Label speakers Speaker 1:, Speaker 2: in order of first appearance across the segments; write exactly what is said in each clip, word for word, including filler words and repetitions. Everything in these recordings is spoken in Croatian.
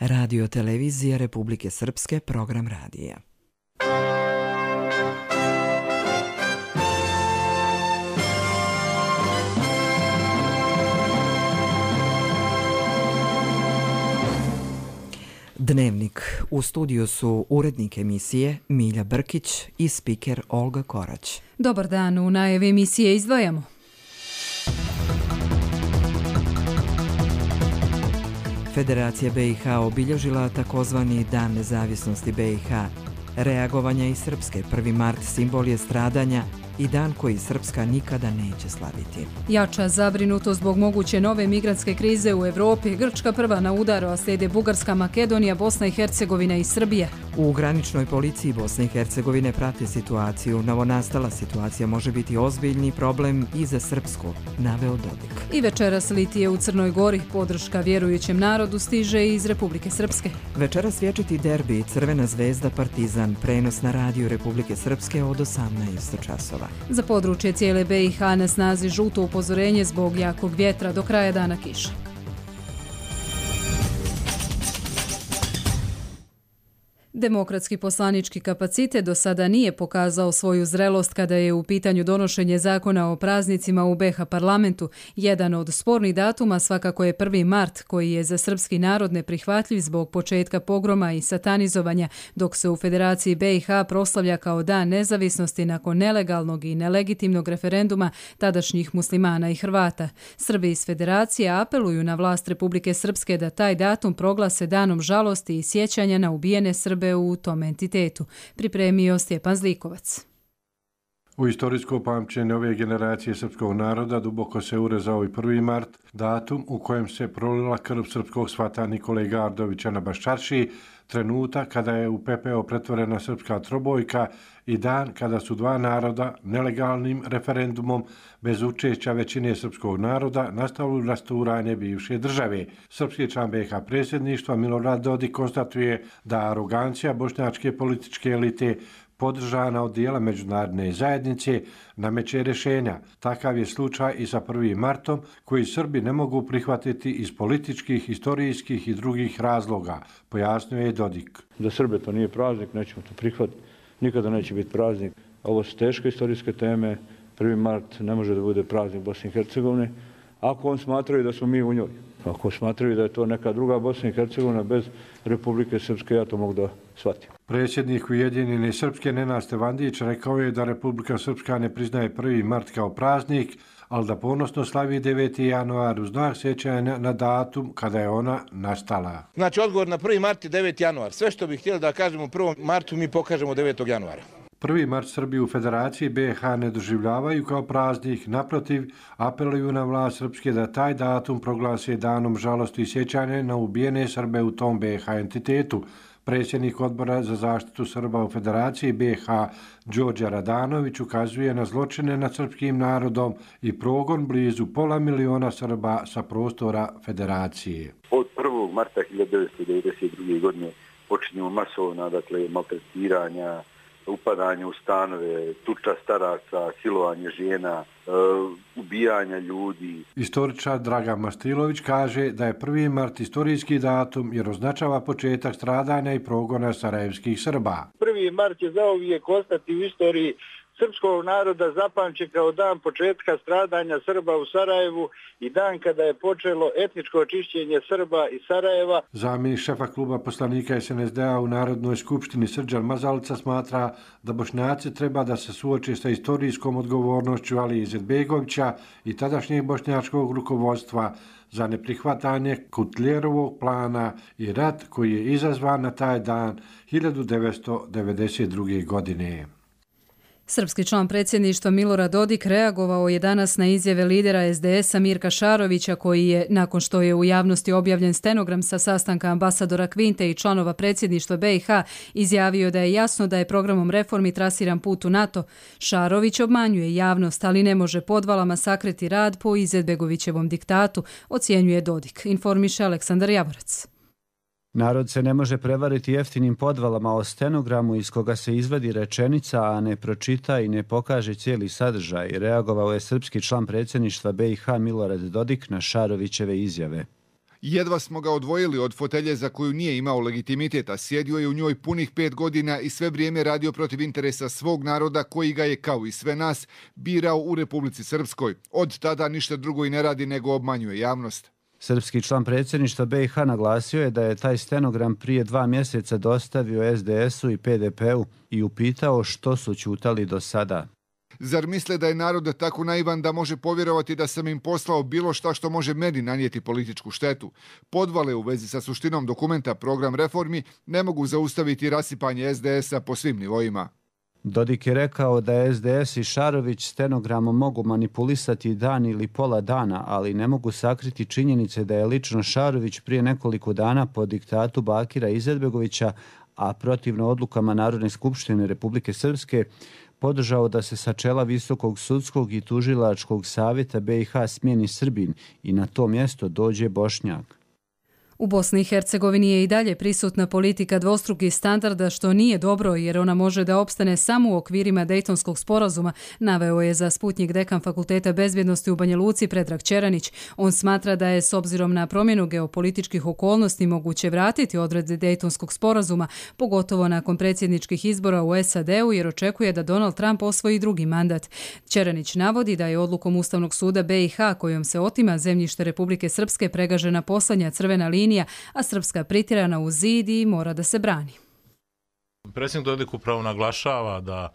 Speaker 1: Radio televizija Republike Srpske, program radija. Dnevnik. U studiju su urednik emisije Milja Brkić i spiker Olga Korać.
Speaker 2: Dobar dan, u najavi emisije izdvajamo.
Speaker 1: Federacija be i ha obilježila takozvani Dan nezavisnosti be i ha. Reagovanja iz Srpske, prvi mart simbol je stradanja i dan koji Srpska nikada neće slaviti.
Speaker 2: Jača zabrinutost zbog moguće nove migrantske krize u Evropi. Grčka prva na udaru, a slijede Bugarska, Makedonija, Bosna i Hercegovina i Srbija.
Speaker 1: U graničnoj policiji Bosne i Hercegovine prate situaciju. Novonastala situacija može biti ozbiljni problem i za Srpsku, naveo Dodik.
Speaker 2: I večeras litije u Crnoj Gori. Podrška vjerujućem narodu stiže iz Republike Srpske.
Speaker 1: Večeras vječiti derbi Crvena zvezda Partizan, prenos na radiju Republike Srpske od osamnaest časova.
Speaker 2: Za područje cijele be i ha na snazi žuto upozorenje zbog jakog vjetra, do kraja dana kiša. Demokratski poslanički kapacitet do sada nije pokazao svoju zrelost kada je u pitanju donošenje zakona o praznicima u be ha parlamentu. Jedan od spornih datuma svakako je prvi mart, koji je za srpski narod neprihvatljiv zbog početka pogroma i satanizovanja, dok se u Federaciji be i ha proslavlja kao dan nezavisnosti nakon nelegalnog i nelegitimnog referenduma tadašnjih muslimana i Hrvata. Srbi iz Federacije apeluju na vlast Republike Srpske da taj datum proglase danom žalosti i sjećanja na ubijene Srbe u tom entitetu, pripremio Stjepan Zlikovac.
Speaker 3: U istorijsko pamćenje ove generacije srpskog naroda duboko se urezao i prvi mart, datum u kojem se prolila krv srpskog svata Nikole Gardovića na Baščaršiji, trenutak kada je u pepeo pretvorena srpska trobojka i dan kada su dva naroda nelegalnim referendumom bez učešća većine srpskog naroda nastavili rasturanje bivše države. Srpski član be i ha predsjedništva Milorad Dodik konstatuje da arogancija bošnjačke političke elite podržana od dijela međunarodne zajednice nameće rješenja. Takav je slučaj i sa prvim martom koji Srbi ne mogu prihvatiti iz političkih, historijskih i drugih razloga, pojasnio je Dodik.
Speaker 4: Za Srbe to nije praznik, nećemo to prihvatiti, nikada neće biti praznik. Ovo su teške historijske teme, prvi mart ne može da bude praznik Bosne i Hercegovine, ako on smatraju da smo mi u njoj. Ako smatraju da je to neka druga Bosna i Hercegovina bez Republike Srpske, ja to mogu da shvatim.
Speaker 3: Predsjednik Ujedinjene Srpske Nenad Stevandić rekao je da Republika Srpska ne priznaje prvi mart kao praznik, ali da ponosno slavi deveti januar u znak sjećanja na datum kada je ona nastala.
Speaker 5: Znači odgovor na prvi mart je deveti januar. Sve što bih htjeli da kažemo u prvom martu mi pokažemo devetog januara.
Speaker 3: Prvi mart Srbi u Federaciji be i ha ne doživljavaju kao praznik, naprotiv, apeluju na vlast Srpske da taj datum proglase danom žalosti i sjećanja na ubijene Srbe u tom be i ha entitetu. Predsjednik odbora za zaštitu Srba u Federaciji be i ha Đorđe Radanović ukazuje na zločine nad srpskim narodom i progon blizu pola miliona Srba sa prostora Federacije.
Speaker 6: Od prvog marta hiljadu devetsto devedeset druge. godine počinju masovna, dakle, maltretiranja, upadanje u stanove, tuča staraca, silovanje žena, e, ubijanja ljudi.
Speaker 3: Istoričar Dragan Mastilović kaže da je prvi mart istorijski datum jer označava početak stradanja i progona sarajevskih Srba.
Speaker 7: prvi mart će zauvijek ostati u istoriji srpskog naroda zapamćen kao dan početka stradanja Srba u Sarajevu i dan kada je počelo etničko očišćenje Srba iz Sarajeva.
Speaker 3: Zamjenik šefa kluba poslanika es en es de a u Narodnoj skupštini Srđan Mazalica smatra da Bošnjaci treba da se suoče sa istorijskom odgovornošću Alije Izetbegovića i tadašnjeg bošnjačkog rukovodstva za neprihvatanje Kutljerovog plana i rat koji je izazvan na taj dan hiljadu devetsto devedeset druge. godine.
Speaker 2: Srpski član predsjedništva Milorad Dodik reagovao je danas na izjave lidera es de es a Mirka Šarovića, koji je, nakon što je u javnosti objavljen stenogram sa sastanka ambasadora Kvinte i članova predsjedništva be i ha, izjavio da je jasno da je programom reformi trasiran put u NATO. Šarović obmanjuje javnost, ali ne može podvalama sakriti rad po Izetbegovićevom diktatu, ocjenjuje Dodik, informiše Aleksandar Javorac.
Speaker 8: Narod se ne može prevariti jeftinim podvalama o stenogramu iz koga se izvadi rečenica, a ne pročita i ne pokaže cijeli sadržaj, reagovao je srpski član predsjedništva be i ha Milorad Dodik na Šarovićeve izjave.
Speaker 9: Jedva smo ga odvojili od fotelje za koju nije imao legitimitet, a sjedio je u njoj punih pet godina i sve vrijeme radio protiv interesa svog naroda koji ga je, kao i sve nas, birao u Republici Srpskoj. Od tada ništa drugo i ne radi nego obmanjuje javnost.
Speaker 8: Srpski član predsjedništva B i H naglasio je da je taj stenogram prije dva mjeseca dostavio es de esu i pe de pe u i upitao što su ćutali do sada.
Speaker 9: Zar misle da je narod tako naivan da može povjerovati da sam im poslao bilo šta što može meni nanijeti političku štetu? Podvale u vezi sa suštinom dokumenta Program reformi ne mogu zaustaviti rasipanje es de esa po svim nivoima.
Speaker 8: Dodik je rekao da es de es i Šarović stenogramom mogu manipulisati dan ili pola dana, ali ne mogu sakriti činjenice da je lično Šarović prije nekoliko dana po diktatu Bakira Izetbegovića, a protivno odlukama Narodne skupštine Republike Srpske, podržao da se sa čela Visokog sudskog i tužilačkog savjeta be i ha smijeni Srbin i na to mjesto dođe Bošnjak.
Speaker 2: U Bosni i Hercegovini je i dalje prisutna politika dvostrukih standarda, što nije dobro jer ona može da opstane samo u okvirima Dejtonskog sporazuma, naveo je za Sputnjik dekan Fakulteta bezbjednosti u Banja Luci Predrag Čeranić. On smatra da je s obzirom na promjenu geopolitičkih okolnosti moguće vratiti odredbe Dejtonskog sporazuma, pogotovo nakon predsjedničkih izbora u es a de u, jer očekuje da Donald Trump osvoji drugi mandat. Čeranić navodi da je odlukom Ustavnog suda be i ha kojom se otima zemljište Republike Srpske pregažena poslednja crvena linija, a Srpska pritirana u zid i mora da se brani.
Speaker 10: Predsjednik Dodik upravo naglašava da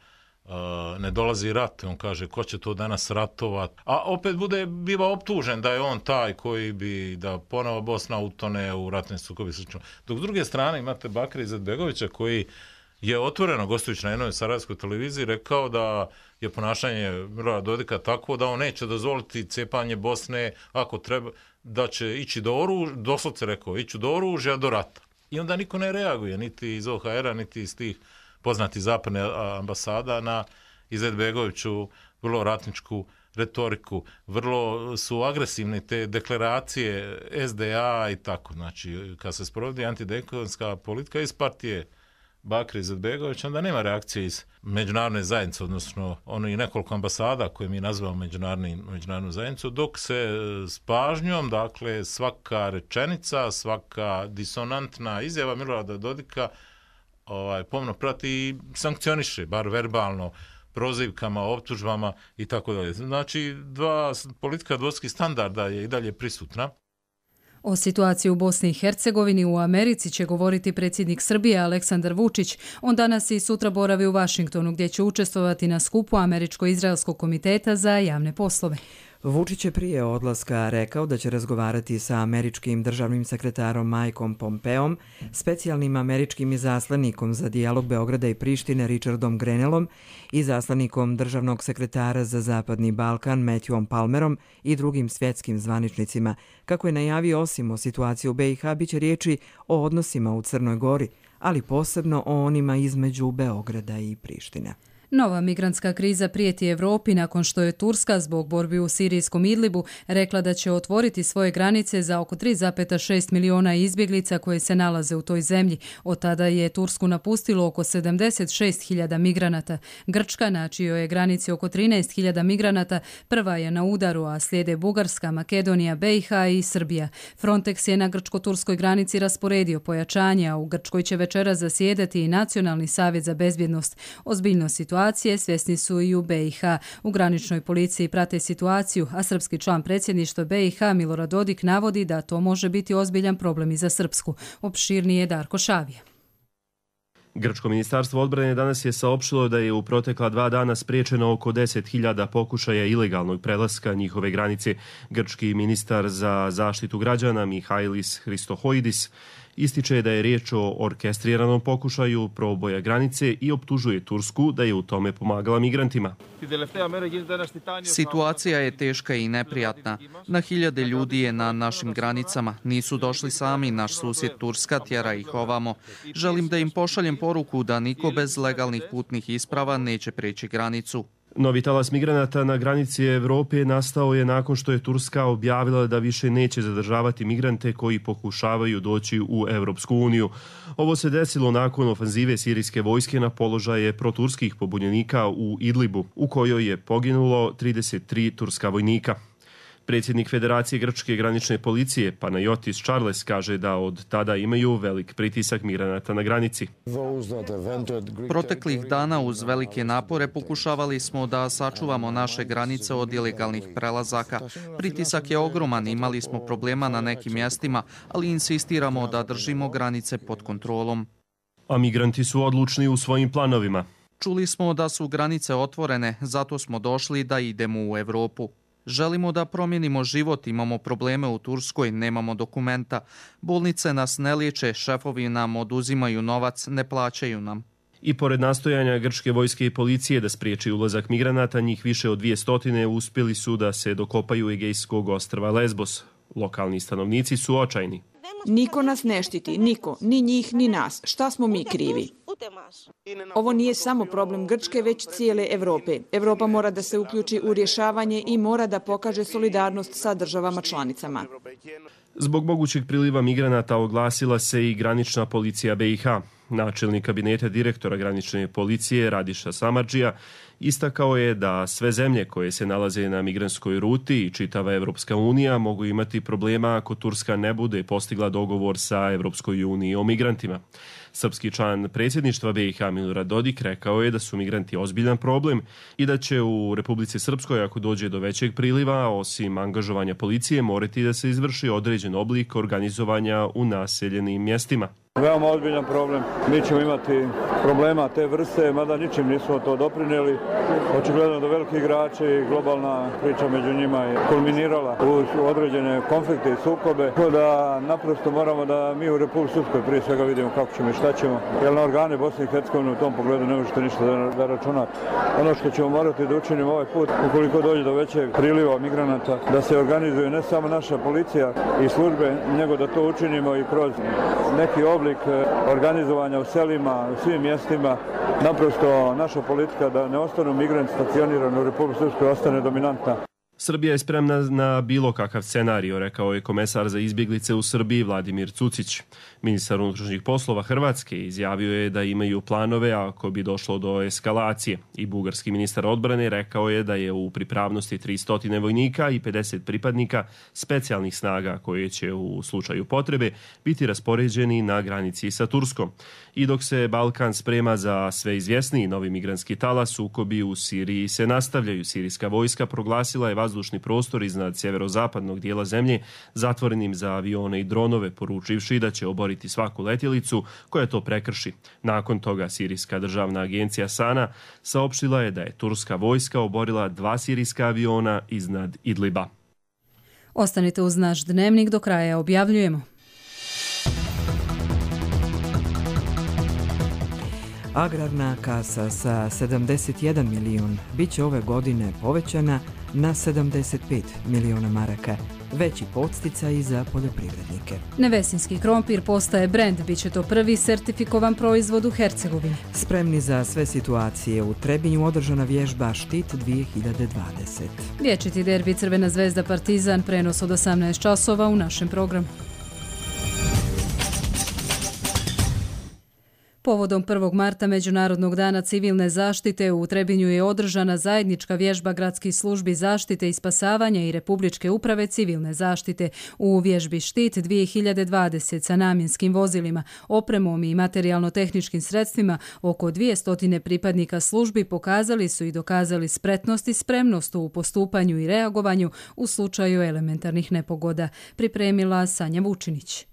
Speaker 10: uh, ne dolazi rat. On kaže ko će to danas ratovat. A opet bude biva optužen da je on taj koji bi da ponovo Bosna utone u ratne sukobe. Dok s druge strane imate Bakira Izetbegovića koji je otvoreno gostujući na jednoj sarajevskoj televiziji rekao da je ponašanje Milorada Dodika tako da on neće dozvoliti cepanje Bosne ako treba, da će ići do oružja, doslovce rekao, ići do oružja do rata. I onda niko ne reaguje, niti iz o ha era, niti iz tih poznatih zapadne ambasada na Izetbegoviću vrlo ratničku retoriku. Vrlo su agresivne te deklaracije es de a i tako. Znači, kad se sprovodi antidejtonska politika iz partije Bakira Izetbegovića, onda nema reakcije iz međunarodne zajednice, odnosno ono i nekoliko ambasada koje mi nazivamo međunarodnu zajednicu, dok se s pažnjom, dakle, svaka rečenica, svaka disonantna izjava Milorada Dodika ovaj, pomno prati i sankcioniše, bar verbalno, prozivkama, optužbama i tako dalje. Znači, dva, politika dvostrukih standarda je i dalje prisutna.
Speaker 2: O situaciji u Bosni i Hercegovini u Americi će govoriti predsjednik Srbije Aleksandar Vučić. On danas i sutra boravi u Vašingtonu gdje će učestvovati na skupu Američko-Izraelskog komiteta za javne poslove.
Speaker 1: Vučić je prije odlaska rekao da će razgovarati sa američkim državnim sekretarom Mikeom Pompeom, specijalnim američkim izaslanikom za dijalog Beograda i Prištine Richardom Grenellom i zaslanikom državnog sekretara za Zapadni Balkan Matthewom Palmerom i drugim svjetskim zvaničnicima. Kako je najavio, osim o situaciji u be i ha, bit će riječi o odnosima u Crnoj Gori, ali posebno o onima između Beograda i Prištine.
Speaker 2: Nova migrantska kriza prijeti Evropi nakon što je Turska zbog borbi u sirijskom Idlibu rekla da će otvoriti svoje granice za oko tri zarez šest miliona izbjeglica koje se nalaze u toj zemlji. Od tada je Tursku napustilo oko sedamdeset šest hiljada migranata. Grčka, na čijoj je granici oko trinaest hiljada migranata, prva je na udaru, a slijede Bugarska, Makedonija, be i ha i Srbija. Frontex je na grčko-turskoj granici rasporedio pojačanja, a u Grčkoj će večeras zasjedati i Nacionalni savjet za bezbjednost. Ozbiljno situacija svjesni su i u be i ha. U graničnoj policiji prate situaciju, a srpski član predsjedništva be i ha Milorad Dodik navodi da to može biti ozbiljan problem i za Srpsku. Opširnije Darko Šavije.
Speaker 11: Grčko ministarstvo odbrane danas je saopštilo da je u protekla dva dana spriječeno oko deset hiljada pokušaja ilegalnog prelaska njihove granice. Grčki ministar za zaštitu građana Mihailis Hristohoidis ističe da je riječ o orkestriranom pokušaju proboja granice i optužuje Tursku da je u tome pomagala migrantima.
Speaker 12: Situacija je teška i neprijatna. Na hiljade ljudi je na našim granicama. Nisu došli sami, naš susjed Turska tjera ih ovamo. Želim da im pošaljem poruku da niko bez legalnih putnih isprava neće preći granicu.
Speaker 11: Novi talas migranata na granici Evrope nastao je nakon što je Turska objavila da više neće zadržavati migrante koji pokušavaju doći u Evropsku uniju. Ovo se desilo nakon ofanzive sirijske vojske na položaje proturskih pobunjenika u Idlibu, u kojoj je poginulo trideset tri turska vojnika. Predsjednik Federacije Grčke granične policije Panayotis Charles kaže da od tada imaju velik pritisak migranata na granici.
Speaker 12: Proteklih dana uz velike napore pokušavali smo da sačuvamo naše granice od ilegalnih prelazaka. Pritisak je ogroman, imali smo problema na nekim mjestima, ali insistiramo da držimo granice pod kontrolom.
Speaker 11: A migranti su odlučni u svojim planovima.
Speaker 12: Čuli smo da su granice otvorene, zato smo došli da idemo u Evropu. Želimo da promijenimo život, imamo probleme u Turskoj, nemamo dokumenta. Bolnice nas ne liječe, šefovi nam oduzimaju novac, ne plaćaju nam.
Speaker 11: I pored nastojanja grčke vojske i policije da spriječi ulazak migranata, njih više od dvije stotine uspjeli su da se dokopaju Egejskog ostrva Lesbos. Lokalni stanovnici su očajni.
Speaker 13: Niko nas ne štiti, niko, ni njih, ni nas. Šta smo mi krivi? Ovo nije samo problem Grčke, već cijele Evrope. Evropa mora da se uključi u rješavanje i mora da pokaže solidarnost sa državama članicama.
Speaker 11: Zbog mogućeg priliva migranata oglasila se i granična policija B i H. Načelnik kabineta direktora granične policije Radiša Samardžija istakao je da sve zemlje koje se nalaze na migrantskoj ruti i čitava Evropska unija mogu imati problema ako Turska ne bude postigla dogovor sa Evropskoj uniji o migrantima. Srpski član predsjedništva B i H Milorad Dodik rekao je da su migranti ozbiljan problem i da će u Republici Srpskoj, ako dođe do većeg priliva, osim angažovanja policije, morati da se izvrši određen oblik organizovanja u naseljenim mjestima.
Speaker 4: Veoma ozbiljan problem. Mi ćemo imati problema te vrste, mada ničim nismo to doprinijeli. Očigledno da veliki igrači i globalna priča među njima je kulminirala u određene konflikte i sukobe. Tako da naprosto moramo da mi u Republici Srpskoj prije svega vidimo kako ćemo i šta ćemo. Jer na organe Bosne i Hercegovine u tom pogledu ne možete ništa da, da računate. Ono što ćemo morati da učinimo ovaj put, ukoliko dođe do većeg priliva migranata, da se organizuje ne samo naša policija i službe, nego da to učinimo i kroz neki oblik organizovanja u selima, u svim mjestima. Naprosto naša politika da ne ostanu migranti stacionirani u Republici Srpskoj ostane dominantna.
Speaker 11: Srbija je spremna na bilo kakav scenario, rekao je komesar za izbjeglice u Srbiji Vladimir Cucić. Ministar unutrašnjih poslova Hrvatske izjavio je da imaju planove ako bi došlo do eskalacije. I bugarski ministar odbrane rekao je da je u pripravnosti tristo vojnika i pedeset pripadnika specijalnih snaga koje će u slučaju potrebe biti raspoređeni na granici sa Turskom. I dok se Balkan sprema za sve izvjesniji novi migrantski talas, sukobi u Siriji se nastavljaju. Sirijska vojska proglasila je vazdušni prostor iznad sjeverozapadnog dijela zemlje zatvorenim za avione i dronove, poručivši da će oboriti svaku letjelicu koja to prekrši. Nakon toga Sirijska državna agencija Sana saopštila je da je turska vojska oborila dva sirijska aviona iznad Idliba.
Speaker 2: Ostanite uz naš dnevnik, do kraja objavljujemo.
Speaker 1: Agrarna kasa sa sedamdeset jedan milijun bit će ove godine povećana na sedamdeset pet miliona maraka, veći podsticaj za poljoprivrednike.
Speaker 2: Nevesinski krompir postaje brend, bit će to prvi sertifikovan proizvod u Hercegovini.
Speaker 1: Spremni za sve situacije, u Trebinju održana vježba Štit dvije hiljade dvadeset.
Speaker 2: Vječiti derbi Crvena zvezda Partizan, prenos od osamnaest časova u našem programu. Povodom prvog marta Međunarodnog dana civilne zaštite u Trebinju je održana zajednička vježba gradskih službi zaštite i spasavanja i Republičke uprave civilne zaštite. U vježbi Štit dvije hiljade dvadeset sa namjenskim vozilima, opremom i materijalno-tehničkim sredstvima oko dvjesto pripadnika službi pokazali su i dokazali spretnost i spremnost u postupanju i reagovanju u slučaju elementarnih nepogoda, pripremila Sanja Vučinić.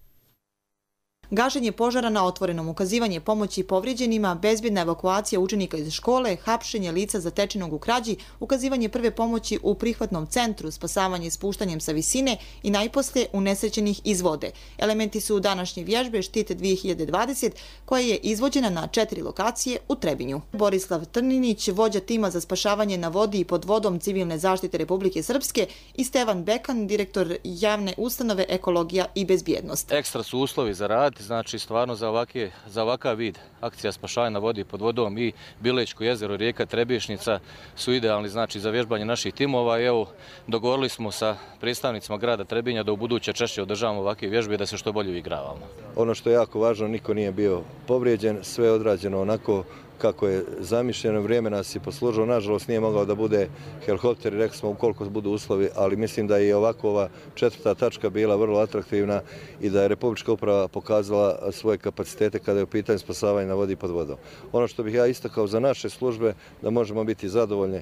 Speaker 14: Gašenje požara na otvorenom, ukazivanje pomoći povrijeđenima, bezbjedna evakuacija učenika iz škole, hapšenje lica zatečenog u krađi, ukazivanje prve pomoći u prihvatnom centru, spasavanje spuštanjem sa visine i najposlije unesrećenih iz vode. Elementi su današnje vježbe Štit dvije hiljade dvadeset koja je izvođena na četiri lokacije u Trebinju. Borislav Trninić, vođa tima za spašavanje na vodi i pod vodom civilne zaštite Republike Srpske, i Stevan Bekan, direktor javne ustanove Ekologija i bezbjednost.
Speaker 15: Ekstra su uslovi za rad. Znači, stvarno za, ovake, za ovakav vid akcija spašavanja na vodi pod vodom i Bilečko jezero, rijeka Trebišnica su idealni, znači, za vježbanje naših timova. I evo, dogovorili smo sa predstavnicima grada Trebinja da u buduće češće održavamo ovakve vježbe i da se što bolje igravamo.
Speaker 16: Ono što je jako važno, niko nije bio povrijeđen, sve je odrađeno onako kako je zamišljeno, vrijeme nas je poslužilo. Nažalost nije mogao da bude helikopter, rekli smo ukoliko budu uslovi, ali mislim da je ovako ova četvrta tačka bila vrlo atraktivna i da je Republička uprava pokazala svoje kapacitete kada je u pitanju spasavanja na vodi pod vodom. Ono što bih ja istakao za naše službe, da možemo biti zadovoljni,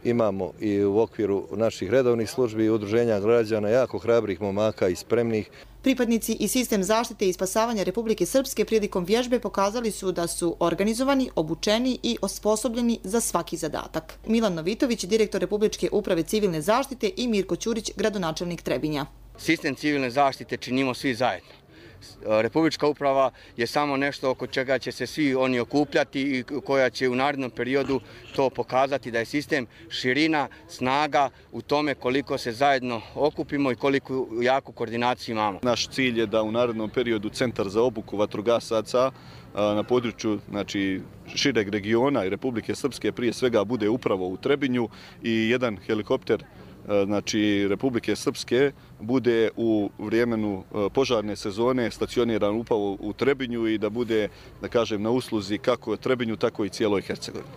Speaker 16: imamo i u okviru naših redovnih službi i udruženja građana jako hrabrih momaka i spremnih.
Speaker 14: Pripadnici i sistem zaštite i spasavanja Republike Srpske prilikom vježbe pokazali su da su organizovani, obučeni i osposobljeni za svaki zadatak. Milan Novitović, direktor Republičke uprave civilne zaštite, i Mirko Ćurić, gradonačelnik Trebinja.
Speaker 17: Sistem civilne zaštite činimo svi zajedno. Republička uprava je samo nešto oko čega će se svi oni okupljati i koja će u narednom periodu to pokazati da je sistem širina, snaga u tome koliko se zajedno okupimo i koliko jaku koordinaciju imamo.
Speaker 18: Naš cilj je da u narednom periodu Centar za obuku vatrogasaca na području znači, šireg regiona i Republike Srpske prije svega bude upravo u Trebinju i jedan helikopter znači Republike Srpske bude u vremenu požarne sezone stacioniran upravo u Trebinju i da bude, da kažem, na usluzi kako Trebinju, tako i cijeloj Hercegovini.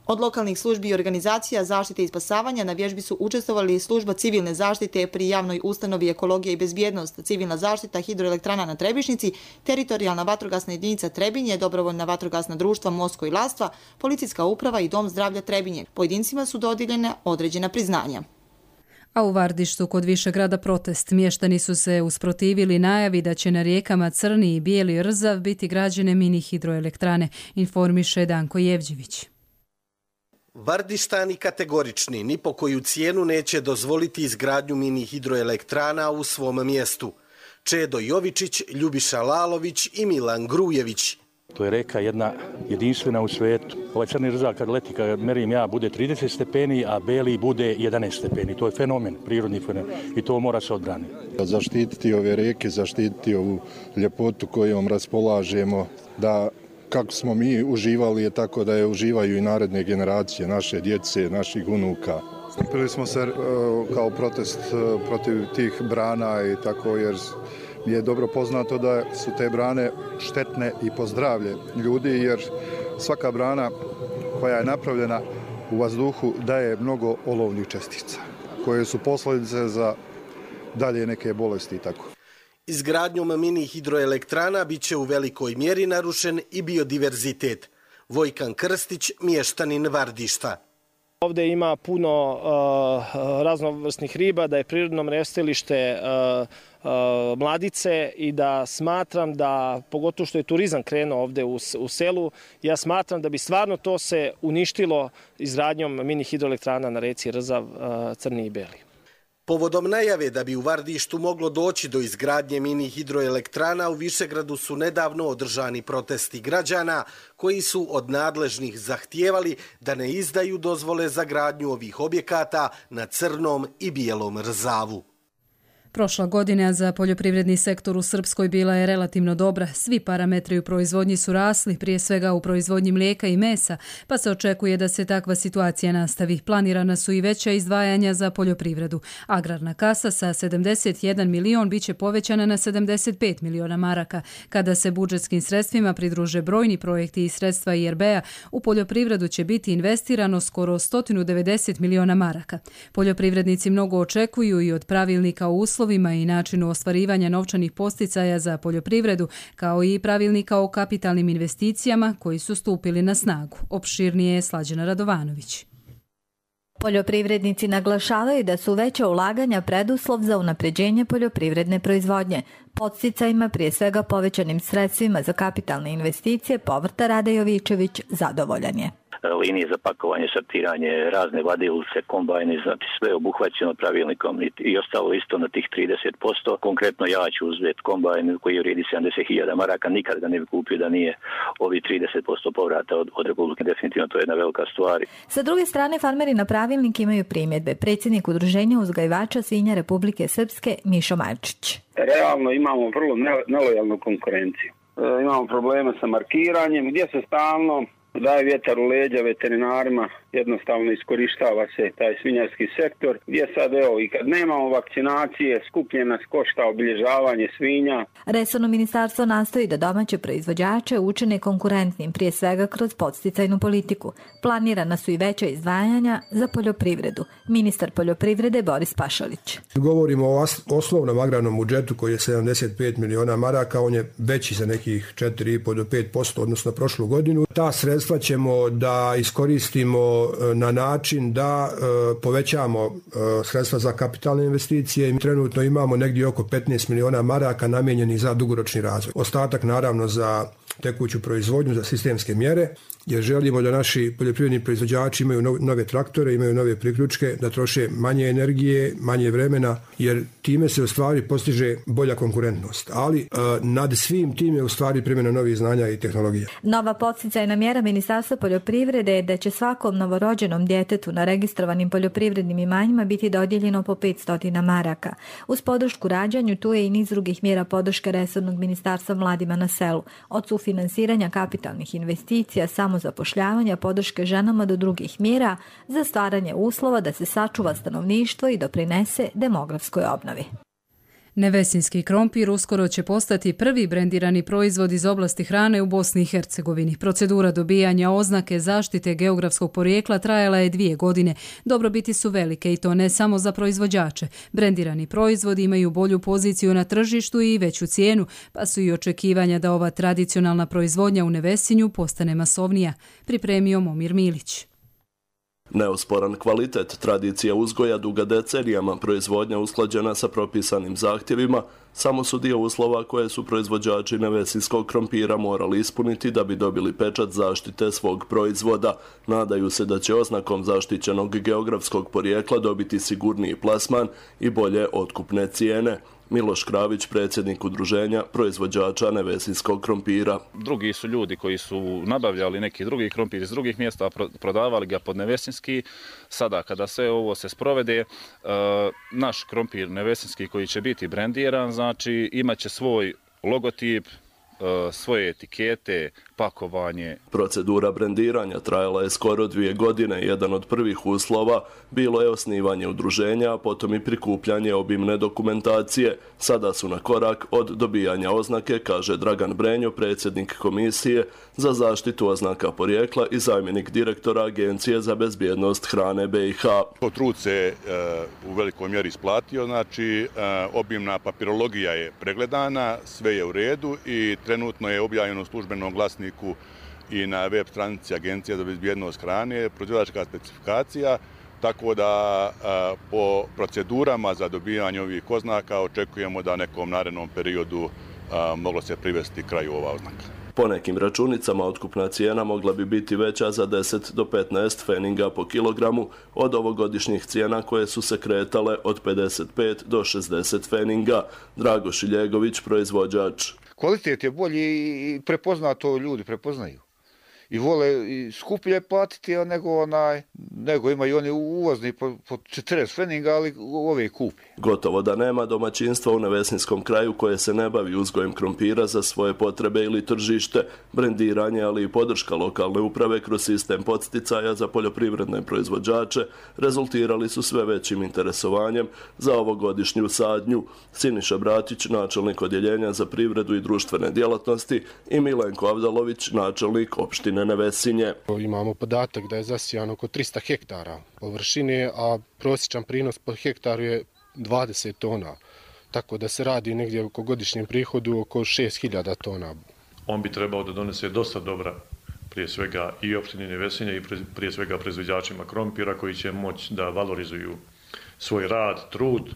Speaker 14: Od lokalnih službi i organizacija zaštite i spasavanja na vježbi su učestvovali služba civilne zaštite pri javnoj ustanovi Ekologija i bezbjednost, civilna zaštita hidroelektrana na Trebišnici, teritorijalna vatrogasna jedinica Trebinje, dobrovoljna vatrogasna društva Mosko i Lastva, policijska uprava i Dom zdravlja Trebinje. Pojedincima su dodijeljene određena priznanja.
Speaker 2: A u Vardištu kod Višegrada protest. Mještani su se usprotivili najavi da će na rijekama Crni i Bijeli Rzav biti građene mini hidroelektrane, informiše Danko Jevđević.
Speaker 19: Vardištani kategorični ni po koju cijenu neće dozvoliti izgradnju mini hidroelektrana u svom mjestu. Čedo Jovičić, Ljubiša Lalović i Milan Grujević.
Speaker 20: To je reka jedna jedinstvena u svijetu. Ovaj Crni Rzav kad leti, kad merim ja, bude trideset stepeni, a Beli bude jedanaest stepeni. To je fenomen, prirodni fenomen i to mora se odbraniti.
Speaker 21: Zaštititi ove reke, zaštititi ovu ljepotu kojom raspolažemo, da kako smo mi uživali je tako da je uživaju i naredne generacije, naše djece, naših unuka.
Speaker 22: Skupili smo se kao protest protiv tih brana i tako jer je dobro poznato da su te brane štetne i po zdravlje ljudi jer svaka brana koja je napravljena u vazduhu daje mnogo olovnih čestica koje su posljedice za dalje neke bolesti i tako.
Speaker 19: Izgradnjom mini hidroelektrana bit će u velikoj mjeri narušen i biodiverzitet. Vojkan Krstić, mještanin Vardišta.
Speaker 23: Ovdje ima puno uh, raznovrsnih riba, da je prirodno mrjestilište uh, uh, mladice i da smatram da, pogotovo što je turizam krenuo ovdje u, u selu, ja smatram da bi stvarno to se uništilo izgradnjom mini hidroelektrana na reci Rzav, uh, Crni i Beli.
Speaker 19: Povodom najave da bi u Vardištu moglo doći do izgradnje mini hidroelektrana, u Višegradu su nedavno održani protesti građana koji su od nadležnih zahtijevali da ne izdaju dozvole za gradnju ovih objekata na Crnom i Bijelom Rzavu.
Speaker 2: Prošla godina za poljoprivredni sektor u Srpskoj bila je relativno dobra. Svi parametri u proizvodnji su rasli, prije svega u proizvodnji mlijeka i mesa, pa se očekuje da se takva situacija nastavi. Planirana su i veća izdvajanja za poljoprivredu. Agrarna kasa sa sedamdeset jedan milion biće povećana na sedamdeset pet miliona maraka. Kada se budžetskim sredstvima pridruže brojni projekti i sredstva I R B-a, u poljoprivredu će biti investirano skoro sto devedeset miliona maraka. Poljoprivrednici mnogo očekuju i od pravilnika o uslovima i načinu ostvarivanja novčanih posticaja za poljoprivredu, kao i pravilnika o kapitalnim investicijama koji su stupili na snagu. Opširnije je Slađana Radovanović.
Speaker 24: Poljoprivrednici naglašavaju da su veća ulaganja preduslov za unapređenje poljoprivredne proizvodnje. Podsticajima, prije svega povećanim sredstvima za kapitalne investicije, povrta Rade Jovičević zadovoljan je.
Speaker 25: Linije za pakovanje, sortiranje, razne vadilice, kombajne, znači sve obuhvaćeno pravilnikom i ostalo isto na tih trideset posto. Konkretno ja ću uzeti kombajn koji vrijedi sedamdeset hiljada maraka, nikad ga ne bi kupio da nije ovi trideset posto povrata od, od Republike. Definitivno to je jedna velika stvar.
Speaker 24: Sa druge strane, farmeri na pravilnik imaju primjedbe. Predsjednik Udruženja uzgajivača svinja Republike Srpske Mišo Majčić.
Speaker 26: Realno imamo vrlo nelojalnu konkurenciju. E, imamo probleme sa markiranjem, gdje se stalno daje vjetar u leđa veterinarima jednostavno iskorištava se taj svinjarski sektor, gdje sad evo i kad nemamo vakcinacije, skuplje nas košta obilježavanje svinja.
Speaker 24: Resorno ministarstvo nastoji da domaće proizvođače učine konkurentnim, prije svega kroz podsticajnu politiku. Planirana su i veća izdvajanja za poljoprivredu. Ministar poljoprivrede Boris Pašalić.
Speaker 3: Govorimo o osnovnom agrarnom budžetu koji je sedamdeset pet miliona maraka, on je veći za nekih četiri i po do pet posto odnosno prošlu godinu. Ta sredstva ćemo da iskoristimo na način da e, povećamo e, sredstva za kapitalne investicije i trenutno imamo negdje oko petnaest miliona maraka namijenjenih za dugoročni razvoj. Ostatak naravno za tekuću proizvodnju, za sistemske mjere, jer želimo da naši poljoprivredni proizvođači imaju nove traktore, imaju nove priključke, da troše manje energije, manje vremena, jer time se u stvari postiže bolja konkurentnost. Ali e, nad svim tim je u stvari primjena novih znanja i tehnologija.
Speaker 24: Nova podsticajna mjera Ministarstva poljoprivrede je da će svakom novorođenom djetetu na registrovanim poljoprivrednim imanjima biti dodijeljeno po petsto maraka. Uz podršku rađanju tu je i niz drugih mjera podrške resornog ministarstva mladima na selu, od sufinansiranja kapitalnih investicija, samozapošljavanja, podrške ženama do drugih mjera za stvaranje uslova da se sačuva stanovništvo i doprinese demografskoj obnovi.
Speaker 2: Nevesinski krompir uskoro će postati prvi brendirani proizvod iz oblasti hrane u Bosni i Hercegovini. Procedura dobijanja oznake zaštite geografskog porijekla trajala je dvije godine. Dobrobiti su velike i to ne samo za proizvođače. Brendirani proizvodi imaju bolju poziciju na tržištu i veću cijenu, pa su i očekivanja da ova tradicionalna proizvodnja u Nevesinju postane masovnija, pripremio Momir Milić.
Speaker 5: Neosporan kvalitet, tradicija uzgoja duga decenijama, proizvodnja usklađena sa propisanim zahtjevima, samo su dio uslova koje su proizvođači nevesinskog krompira morali ispuniti da bi dobili pečat zaštite svog proizvoda. Nadaju se da će oznakom zaštićenog geografskog porijekla dobiti sigurniji plasman i bolje otkupne cijene. Miloš Kravić, predsjednik udruženja proizvođača nevesinskog krompira.
Speaker 6: Drugi su ljudi koji su nabavljali neki drugi krompir iz drugih mjesta, prodavali ga pod nevesinski. Sada kada sve ovo se sprovede, naš krompir nevesinski koji će biti brendiran, znači imaće svoj logotip, svoje etikete, pakovanje.
Speaker 5: Procedura brendiranja trajala je skoro dvije godine. Jedan od prvih uslova bilo je osnivanje udruženja, a potom i prikupljanje obimne dokumentacije. Sada su na korak od dobijanja oznake, kaže Dragan Brenjo, predsjednik Komisije za zaštitu oznaka porijekla i zamjenik direktora Agencije za bezbjednost hrane B i H.
Speaker 7: Trud se u velikoj mjeri isplatio, znači obimna papirologija je pregledana, sve je u redu i trenutno je objavljeno u službenom glasniku i na web stranici Agencije za bezbjednost hrane proizvođačka specifikacija, tako da a, po procedurama za dobijanje ovih oznaka očekujemo da nekom narednom periodu a, moglo se privesti kraju ova oznaka.
Speaker 5: Po nekim računicama otkupna cijena mogla bi biti veća za deset do petnaest feninga po kilogramu od ovogodišnjih cijena koje su se kretale od pedeset pet do šezdeset feninga. Drago Šiljegović, proizvođač.
Speaker 8: Kvalitet je bolji i prepoznato ljudi prepoznaju. I vole i skuplje platiti nego, onaj, nego imaju oni uvozni po, po četrdeset feninga, ali ove kupi.
Speaker 5: Gotovo da nema domaćinstva u nevesinskom kraju koje se ne bavi uzgojem krompira za svoje potrebe ili tržište. Brendiranje, ali i podrška lokalne uprave kroz sistem podsticaja za poljoprivredne proizvođače rezultirali su sve većim interesovanjem za ovogodišnju sadnju. Siniša Bratić, načelnik odjeljenja za privredu i društvene djelatnosti, i Milenko Avdalović, načelnik opštine Nevesinje.
Speaker 9: Imamo podatak da je zasijano oko trista hektara površine, a prosječan prinos po hektaru je dvadeset tona. Tako da se radi negdje oko godišnjem prihodu oko šest hiljada tona.
Speaker 27: On bi trebao da donese dosta dobra, prije svega i opštini Nevesinje i prije svega proizvođačima krompira koji će moći da valorizuju svoj rad, trud,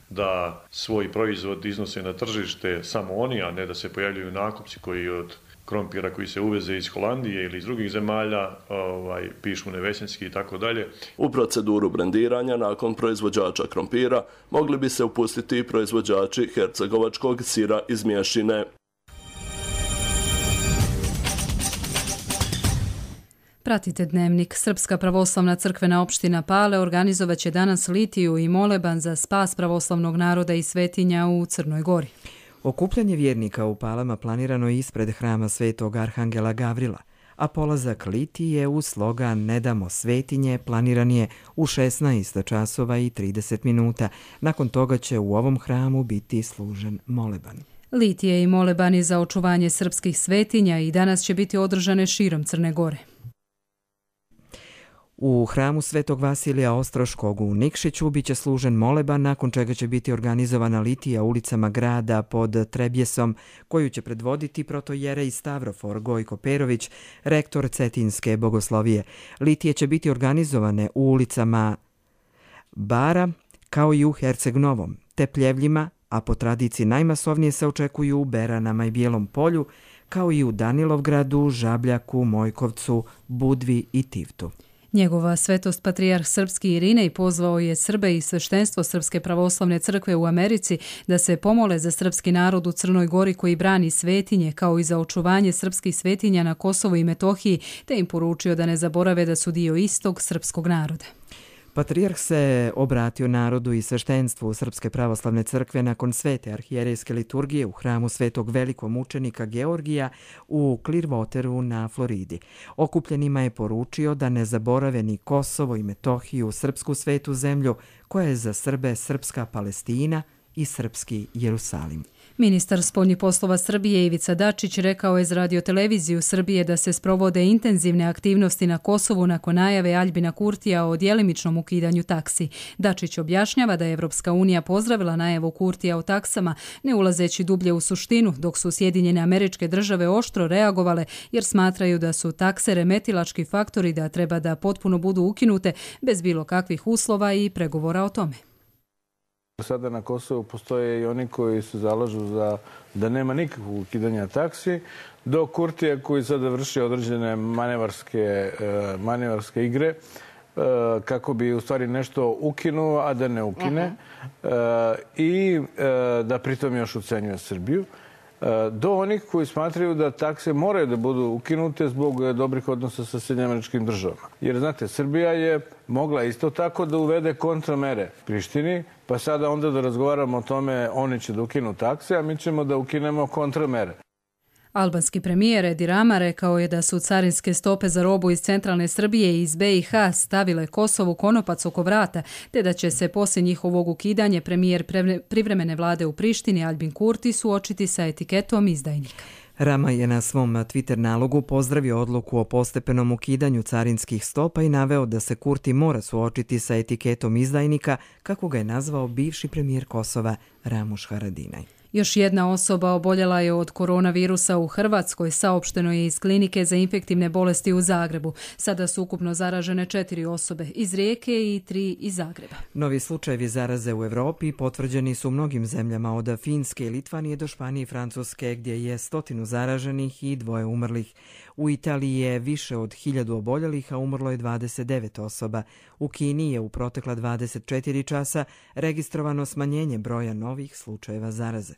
Speaker 27: da svoj proizvod iznose na tržište samo oni, a ne da se pojavljuju nakupci koji od krompira koji se uveze iz Holandije ili iz drugih zemalja, ovaj, pišu nevesinski i tako dalje.
Speaker 5: U proceduru brendiranja nakon proizvođača krompira mogli bi se upustiti i proizvođači hercegovačkog sira iz Mješine.
Speaker 2: Pratite Dnevnik. Srpska pravoslavna crkvena opština Pale organizovaće danas litiju i moleban za spas pravoslavnog naroda i svetinja u Crnoj Gori.
Speaker 1: Okupljanje vjernika u Palama planirano je ispred hrama Svetog Arhangela Gavrila, a polazak litije uz slogan Ne damo svetinje planiran je u šesnaest časova i trideset minuta. Nakon toga će u ovom hramu biti služen moleban.
Speaker 2: Litije i molebani za očuvanje srpskih svetinja i danas će biti održane širom Crne Gore.
Speaker 1: U hramu Svetog Vasilija Ostroškog u Nikšiću biće služen moleban, nakon čega će biti organizovana litija ulicama grada pod Trebjesom, koju će predvoditi protojerej Stavrofor Gojko Perović, rektor Cetinske bogoslovije. Litije će biti organizovane u ulicama Bara, kao i u Herceg Novom, te Pljevljima, a po tradiciji najmasovnije se očekuju u Beranama i Bijelom polju, kao i u Danilovgradu, Žabljaku, Mojkovcu, Budvi i Tivtu.
Speaker 2: Njegova svetost patrijarh srpski Irinej pozvao je Srbe i sveštenstvo Srpske pravoslavne crkve u Americi da se pomole za srpski narod u Crnoj Gori koji brani svetinje, kao i za očuvanje srpskih svetinja na Kosovu i Metohiji, te im poručio da ne zaborave da su dio istog srpskog naroda.
Speaker 1: Patrijarh se obratio narodu i sveštenstvu Srpske pravoslavne crkve nakon svete arhijerejske liturgije u hramu Svetog velikomučenika Georgija u Clearwateru na Floridi. Okupljenima je poručio da ne zaborave ni Kosovo i Metohiju, srpsku svetu zemlju, koja je za Srbe srpska Palestina i srpski Jerusalim.
Speaker 2: Ministar spoljnih poslova Srbije Ivica Dačić rekao je za radioteleviziju Srbije da se sprovode intenzivne aktivnosti na Kosovu nakon najave Aljbina Kurtija o djelimičnom ukidanju taksi. Dačić objašnjava da je Evropska unija pozdravila najavu Kurtija o taksama, ne ulazeći dublje u suštinu, dok su Sjedinjene Američke Države oštro reagovale jer smatraju da su takse remetilački faktori, da treba da potpuno budu ukinute bez bilo kakvih uslova i pregovora o tome.
Speaker 4: Sada na Kosovu postoje i oni koji se zalažu za da nema nikakvog ukidanja taksi, do Kurtija koji sada vrši određene manevarske, manevarske igre kako bi u stvari nešto ukinuo, a da ne ukine uh-huh. i da pritom još ucenjuje Srbiju. Do onih koji smatraju da takse moraju da budu ukinute zbog dobrih odnosa sa Sjedinjenim Američkim Državama. Jer, znate, Srbija je mogla isto tako da uvede kontramere Prištini, pa sada onda da razgovaramo o tome, oni će da ukinu takse, a mi ćemo da ukinemo kontramere.
Speaker 2: Albanski premijer Edi Rama rekao je da su carinske stope za robu iz centralne Srbije i iz be i ha stavile Kosovu konopac oko vrata, te da će se poslije njihovog ukidanja premijer privremene vlade u Prištini Aljbin Kurti suočiti sa etiketom izdajnika.
Speaker 1: Rama je na svom Twitter nalogu pozdravio odluku o postepenom ukidanju carinskih stopa i naveo da se Kurti mora suočiti sa etiketom izdajnika, kako ga je nazvao bivši premijer Kosova Ramuš Haradinaj.
Speaker 2: Još jedna osoba oboljela je od koronavirusa u Hrvatskoj, saopšteno je iz klinike za infektivne bolesti u Zagrebu. Sada su ukupno zaražene četiri osobe iz Rijeke i tri iz Zagreba.
Speaker 1: Novi slučajevi zaraze u Evropi potvrđeni su u mnogim zemljama od Finske i Litvanije do Španije i Francuske, gdje je stotinu zaraženih i dvoje umrlih. U Italiji je više od hiljadu oboljelih, a umrlo je dvadeset devet osoba. U Kini je u protekla dvadeset četiri časa registrovano smanjenje broja novih slučajeva zaraze.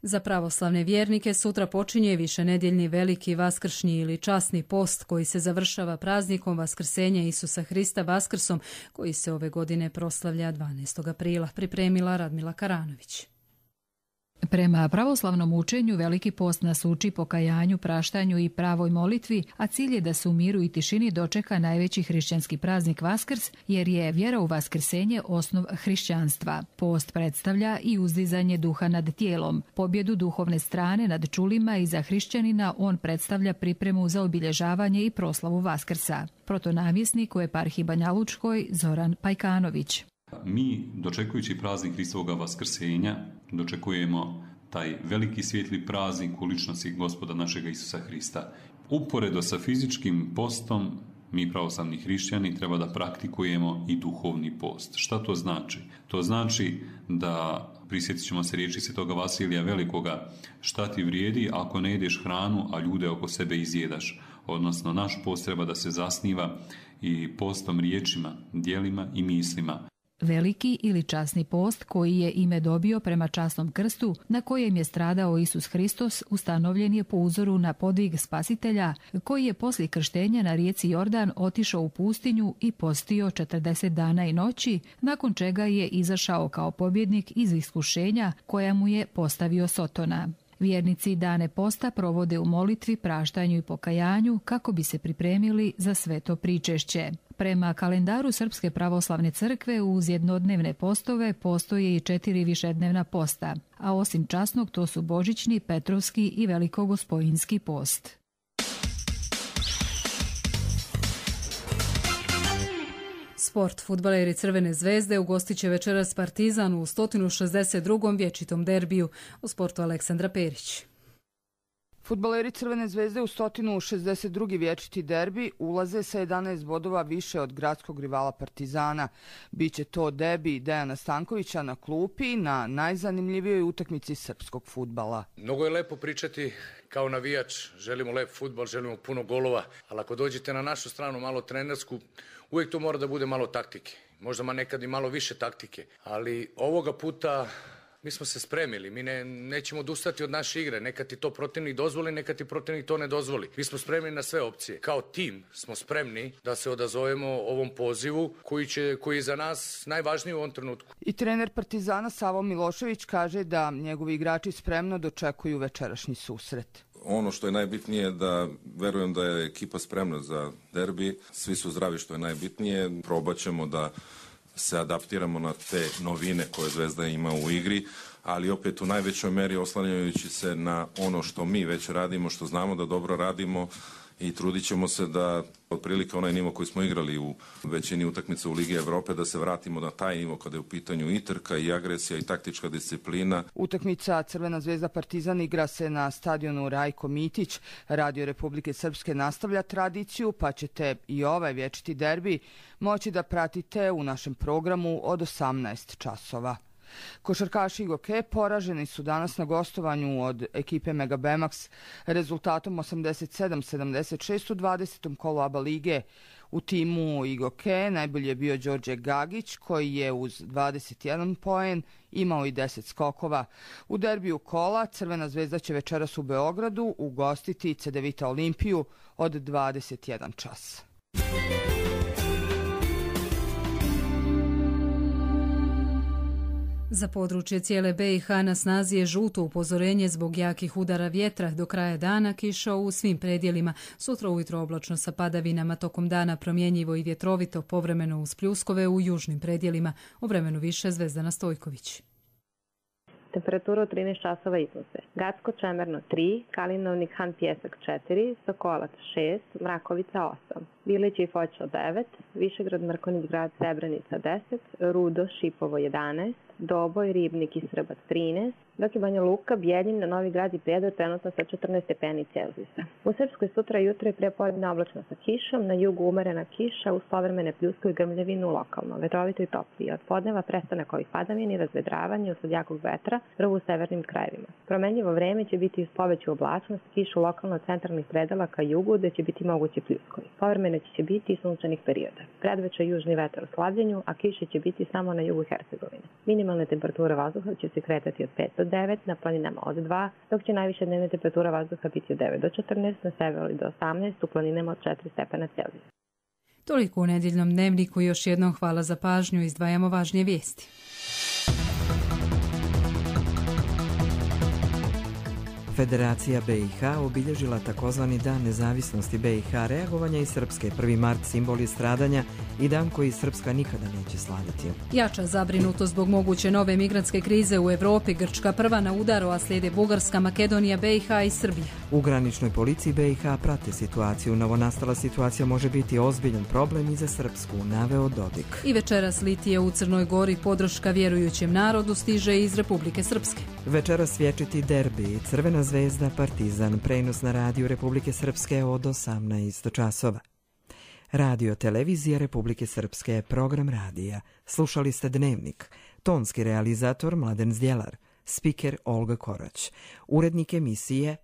Speaker 2: Za pravoslavne vjernike sutra počinje višenedjeljni veliki vaskršnji ili časni post koji se završava praznikom Vaskrsenja Isusa Hrista Vaskrsom, koji se ove godine proslavlja dvanaestog aprila, pripremila Radmila Karanović.
Speaker 10: Prema pravoslavnom učenju, veliki post nas uči pokajanju, praštanju i pravoj molitvi, a cilj je da se u miru i tišini dočeka najveći hrišćanski praznik Vaskrs, jer je vjera u vaskrsenje osnov hrišćanstva. Post predstavlja i uzdizanje duha nad tijelom, pobjedu duhovne strane nad čulima i za hrišćanina on predstavlja pripremu za obilježavanje i proslavu Vaskrsa. Protonavjesnik u eparhiji Banja Lučkoj Zoran Pajkanović.
Speaker 11: Mi, dočekujući praznik Hristovoga Vaskrsenja, dočekujemo taj veliki svijetli praznik u ličnosti Gospoda našega Isusa Hrista. Uporedo sa fizičkim postom, mi pravoslavni hrišćani treba da praktikujemo i duhovni post. Šta to znači? To znači da, prisjetit ćemo se riječi svetoga Vasilija Velikoga, šta ti vrijedi ako ne jedeš hranu, a ljude oko sebe izjedaš. Odnosno, naš post treba da se zasniva i postom riječima, djelima i mislima.
Speaker 10: Veliki ili časni post koji je ime dobio prema časnom krstu na kojem je stradao Isus Hristos ustanovljen je po uzoru na podvig Spasitelja koji je poslije krštenja na rijeci Jordan otišao u pustinju i postio četrdeset dana i noći, nakon čega je izašao kao pobjednik iz iskušenja koja mu je postavio Sotona. Vjernici dane posta provode u molitvi, praštanju i pokajanju kako bi se pripremili za sveto pričešće. Prema kalendaru Srpske pravoslavne crkve uz jednodnevne postove postoje i četiri višednevna posta, a osim časnog to su božićni, petrovski i velikogospojinski post.
Speaker 2: Sport. Fudbaleri Crvene zvezde ugostit će večeras Partizan u sto šezdeset drugom vječitom derbiju. U sportu Aleksandra Perić.
Speaker 12: Fudbaleri Crvene zvezde u sto šezdeset drugi vječiti derbi ulaze sa jedanaest bodova više od gradskog rivala Partizana. Biće to debi Dejana Stankovića na klupi na najzanimljivijoj utakmici srpskog fudbala.
Speaker 13: Mnogo je lepo pričati kao navijač, želimo lep fudbal, želimo puno golova, ali ako dođete na našu stranu malo trenersku, uvijek to mora da bude malo taktike. Možda ma nekad i malo više taktike, ali ovoga puta mi smo se spremili, mi ne, nećemo odustati od naše igre, neka ti to protivnik dozvoli, neka ti protivnik to ne dozvoli. Mi smo spremni na sve opcije. Kao tim smo spremni da se odazovemo ovom pozivu koji, će, koji je za nas najvažniji u ovom trenutku.
Speaker 12: I trener Partizana Savo Milošević kaže da njegovi igrači spremno dočekuju večerašnji susret.
Speaker 14: Ono što je najbitnije da verujem da je ekipa spremna za derbi, svi su zdravi što je najbitnije, probat ćemo da se adaptiramo na te novine koje Zvezda ima u igri, ali opet u najvećoj meri oslanjajući se na ono što mi već radimo, što znamo da dobro radimo i trudit ćemo se da otprilike onaj nivo koji smo igrali u većini utakmica u Ligi Evrope, da se vratimo na taj nivo kada je u pitanju i trka i agresija i taktička disciplina.
Speaker 12: Utakmica Crvena zvezda Partizan igra se na stadionu Rajko Mitić. Radio Republike Srpske nastavlja tradiciju, pa ćete i ovaj vječiti derbi moći da pratite u našem programu od osamnaest časova. Košarkaši Igoke poraženi su danas na gostovanju od ekipe Mega Bemax rezultatom osamdeset sedam sedamdeset šest u dvadesetom kolu A B A lige. U timu Igoke najbolji je bio Đorđe Gagić koji je uz dvadeset jedan poen imao i deset skokova. U derbiju kola Crvena zvezda će večeras u Beogradu ugostiti Cedevita Olimpiju od dvadeset jedan čas.
Speaker 2: Za područje cijele B i H na snazi je žuto upozorenje zbog jakih udara vjetra. Do kraja dana kiša u svim predjelima. Sutra ujutro oblačno sa padavinama, tokom dana promjenjivo i vjetrovito, povremeno uz pljuskove u južnim predjelima. O vremenu više Zvezdana Stojković.
Speaker 15: Temperatura od trinaest časova iznose. Gacko Čemerno tri, Kalinovnik Han Pjesak četiri, Sokolac šest, Mrakovica osam, Bilić i Foča devet, Višegrad Mrkonić grad Srebrenica deset, Rudo Šipovo jedanaest, Doboj, Ribnik i Srbac trinaest, dok je Banja Luka, Bijeljin, na Novi Grad i Prijedor trenutno sa četrnaest stepeni Celzijusa. U Srpskoj sutra jutro je prepodne oblačno sa kišom, na jugu umerena kiša uz povremene pljuske i grmljavinu lokalno, vetrovito i toplije. Od podneva prestanak ovih padavina i razvedravanje usled jakog vetra prvo u severnim krajevima. Promenljivo vreme će biti uz poveću oblačnost, kišu lokalno centralnih predela ka jugu gde će biti mogući pljuskovi. Povremeno će biti i sunčanih perioda. Predveče južni vetar u slabljenju, a kiše će biti samo na jugu Hercegovine. Minimalna temperatura vazduha će se kretati od pet do devet, na planinama od dva, dok će najviša dnevna temperatura vazduha biti od devet do četrnaest, na severu do osamnaest, u planinama od četiri stepena Celzijusa.
Speaker 2: Toliko u nedjeljnom dnevniku, još jednom hvala za pažnju, izdvajamo važnije vijesti.
Speaker 1: Federacija B i H obilježila takozvani Dan nezavisnosti B i H, reagovanja i Srpske. prvi mart simbol je stradanja i dan koji Srpska nikada neće slaviti.
Speaker 2: Jača zabrinuto zbog moguće nove migrantske krize u Evropi. Grčka prva na udaru, a slijede Bugarska, Makedonija, B i H i Srbija.
Speaker 1: U graničnoj policiji B i H prate situaciju. Novonastala situacija može biti ozbiljan problem i za Srpsku, naveo Dodik.
Speaker 2: I večeras litije u Crnoj Gori, podrška vjerujućem narodu stiže iz Republike Srpske.
Speaker 1: Večeras vječiti derbi, Crvena zvezda Partizan, prenos na radiju Republike Srpske od osamnaest časova. Radio Televizija Republike Srpske, program radija. Slušali ste Dnevnik. Tonski realizator Mladen Zdjelar. Spiker Olga Korać. Urednik emisije